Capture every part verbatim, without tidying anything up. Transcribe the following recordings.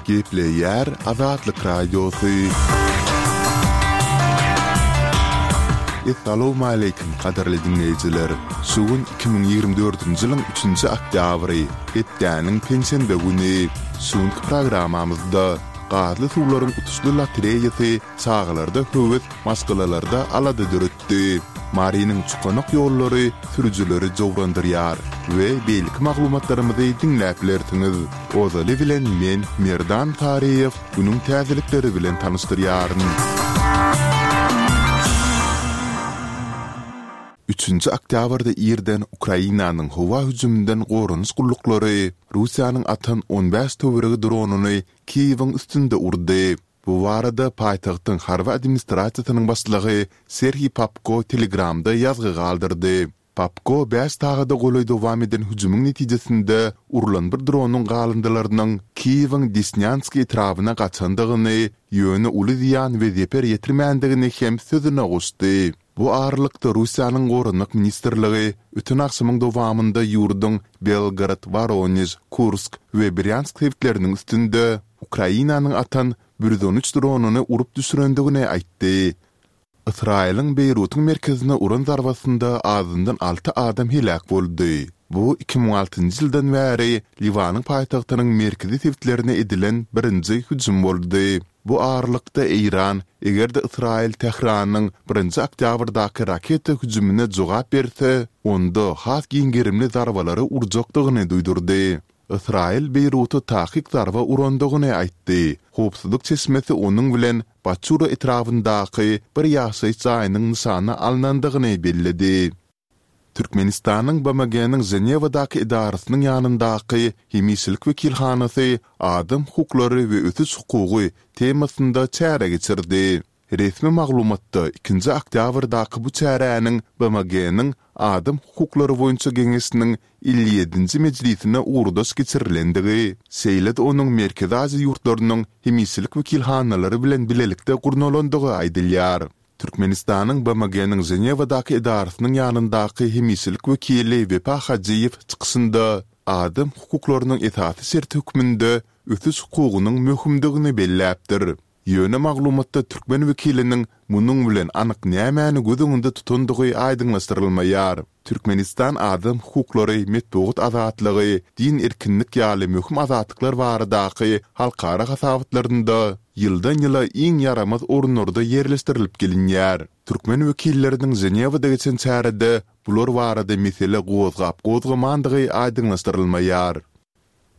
Gepleýär Azatlyk Radiosy. Essalawmaleýkim, gadyrly diňleýjiler! Şu gün iki müň ýigrimi dördünji ýylyň üçünji oktýabry, hepdäniň penşenbe güni. Şu günki programmamyzda gazly suwlaryň utuşly lotereýasy çagalarda höwes, maşgalalarda alada döretdi. Marynyň çukanak ýollary sürüjileri jowrandyrýar we beýleki maglumatlarymyzy diňläp bilersiňiz. Ozaly bilen men, Merdan Saryýew, günüň täzelikleri bilen tanyşdyrýaryn. Üçünji oktýabrda irden Ukrainanyň howa hüjüminden goranyş gulluklary Russiýanyň atan on bäş töweregi dronyny Kiýewiň üstünde urdy. Bu barada paýtagtyň harby administrasiýasynyň başlygy Serhiý Popko Telegramda ýazgy galdyrdy. Popko bäş sagada golaý dowam eden hüjümiň netijesinde urlan bir dronyň galyndylarynyň Kiýewiň Desnýanskiý etrabyna gaçandygyny, ýöne uly zyýan we zeper ýetirmändigini hem sözüne goşdy. Bu aralykda Russiýanyň Goranmak ministrligi öten agşamyň dowamynda ýurduň Belgorod, Woronež, Kursk we Brýansk sebitleriniň üstünde Ukrainanyň atan bir ýüz on üç dronyny urup düşürendigini aýtdy. Ysraýylyň Beýrutyň merkezine uran zarbasynda azyndan alty adam heläk boldy. Bu iki müň altynjy ýyldan bäri Liwanyň paýtagtynyň merkezi sebitlerine edilen birinji hüjüm boldy. Bu aralykda Eýran, eger-de Ysraýyl Tähranyň birinji oktýabrdaky raketa hüjümine jogap berse, onda has giň gerimli zarbalary urjakdygyny duýdurdy. Ysraýyl Beýruta takyk zarba urandygyny aýtdy. Howpsuzlyk çeşmesi onuň bilen Baçura etrabyndaky bir ýaşaýyş jaýynyň nyşana alnandygyny belledi. Türkmenistanyň BMG-niň Ženewadaky edarasynyň ýanyndaky hemişelik wekilhanasy Adam hukuklary we ösüş hukugy temasynda çäre geçirdi. Resmi maglumatda ikinji oktýabrdaky bu çäräniň BMG-niň Adam hukuklary boýunça geňeşiniň elli ýedinji mejlisine ugurdaş geçirilendigi, şeýle-de onuň Merkezi Aziýa ýurtlarynyň hemişelik wekilhanalary bilen bilelikde gurnalandygy aýdylýar. Türkmenistanyň BMG-niň Ženewadaky edarasynyň ýanyndaky hemişelik wekili Wepa Hajyýew çykyşynda adam hukuklarynyň esasy şerti hökmünde ösüş hukugynyň möhümdigini belläpdir. Ýöne maglumatda türkmen wekiliniň munuň bilen anyk nämäni göz öňünde tutandygy aýdyňlaşdyrylmaýar. Türkmenistan adam hukuklary, metbugat azatlygy, din erkinlik ýaly möhüm azatlyklar baradaky halkara hasabatlarynda ýyldan-ýyla iň ýaramaz orunlarda ýerleşdirilip gelinýär. Türkmen wekilleriniň Ženewada geçen çärede bular barada mesele gozgap-gozgamandygy aýdyňlaşdyrylmaýar.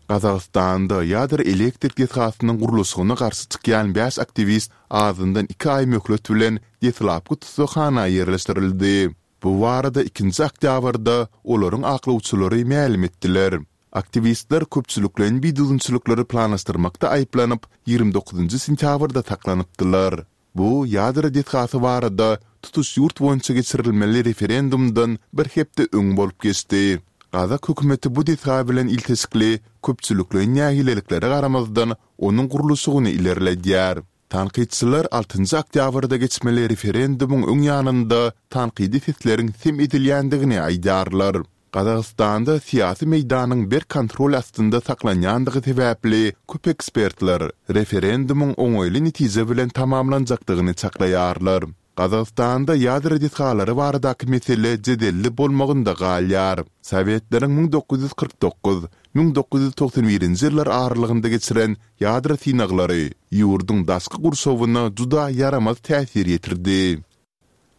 Gazagystanda ýadro elektrik desgasynyň gurluşygyna garşy çykýan bäş aktiwist azyndan iki aý möhlet bilen deslapky tussaghana ýerleşdirildi. Bu barada ikinji oktýabrda olaryň aklawçylary mälim etdiler. Aktiwistler köpçülikleýin bidüzgünçilikleri planlaşdyrmakda aýyplanyp, ýigrimi dokuzynjy sentýabrda saklanypdylar. Bu ýadro desgasy barada tutuş ýurt boýunça geçirilmeli referendumdan bir hepde öň bolup geçdi. Gazak hökümeti bu desga bilen ilteşikli köpçülikleýin nägileliklere garamazdan, onuň gurluşygyny ilerledýär. Tankytçylar altynjy oktýabrda geçmeli referendumyň öň ýanynda tankydy sesleriň sem edilýändigini aýdýarlar. Gazagystanda syýasy meýdanyň berk kontrol astynda saklanýandygy sebäpli köp ekspertler referendumyň oňaýly netije bilen tamamlanjakdygyny çaklaýarlar. Gazagystanda ýadro desgalary baradaky mesele jedelli bolmagynda galýar. Sowetleriň müň dokuz ýüz kyrk dokuz, müň dokuz ýüz togsan birinji ýyllar aralygynda geçiren ýadro synaglary ýurduň daşky gurşawyna juda ýaramaz täsir ýetirdi.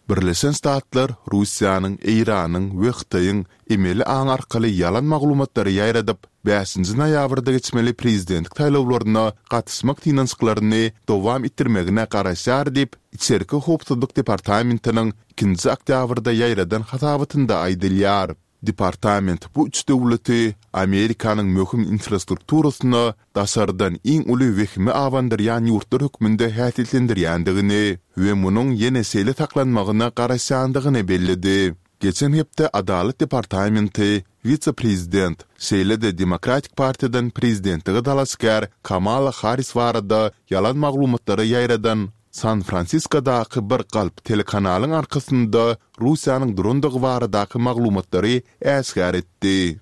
Birleşen Ştatlar Russiýanyň, Eýranyň we Hytaýyň emeli aň arkaly ýalan maglumatlary ýaýradyp, bäşinji noýabrda geçmeli prezidentlik saýlawlaryna gatyşmak synanyşyklaryny dowam etdirmegine garaşýar diýip, Içerki howpsuzlyk departamentiniň ikinji oktýabrda ýaýradan hasabatynda aýdylýar. Departament bu üç döwleti Amerikanyň möhüm infrastrukturasyna daşardan iň uly wehimi abandyrýan ýurtlar hökmünde häsiýetlendirýändigini we munuň ýene şeýle saklanmagyna garaşýandygyny belledi. Geçen hepde Adalat departamenti wise-prezident, şeýle-de Demokratik partiýadan prezidentlige dalaşgär Kamala Harris barada ýalan maglumatlary ýaýradan San-Fransiskodaky bir galp telekanalyň arkasynda Russiýanyň durandygy baradaky maglumatlary äşgär etdi.